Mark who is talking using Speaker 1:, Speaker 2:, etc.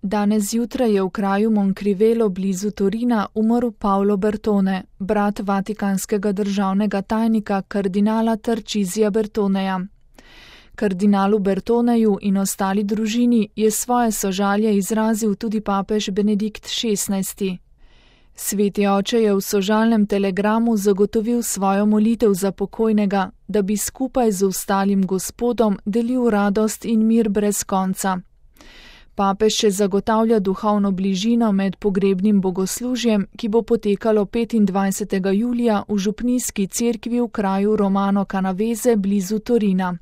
Speaker 1: Danes zjutraj je v kraju Moncrivelo blizu Torina umrl Paolo Bertone, brat vatikanskega državnega tajnika kardinala Tarcisija Bertoneja. Kardinalu Bertoneju in ostali družini je svoje sožalje izrazil tudi papež Benedikt XVI. Sveti oče je v sožalnem telegramu zagotovil svojo molitev za pokojnega, da bi skupaj z ostalim Gospodom delil radost in mir brez konca. Papež še zagotavlja duhovno bližino med pogrebnim bogoslužjem, ki bo potekalo 25. julija v župnijski cerkvi v kraju Romano Canavese blizu Torina.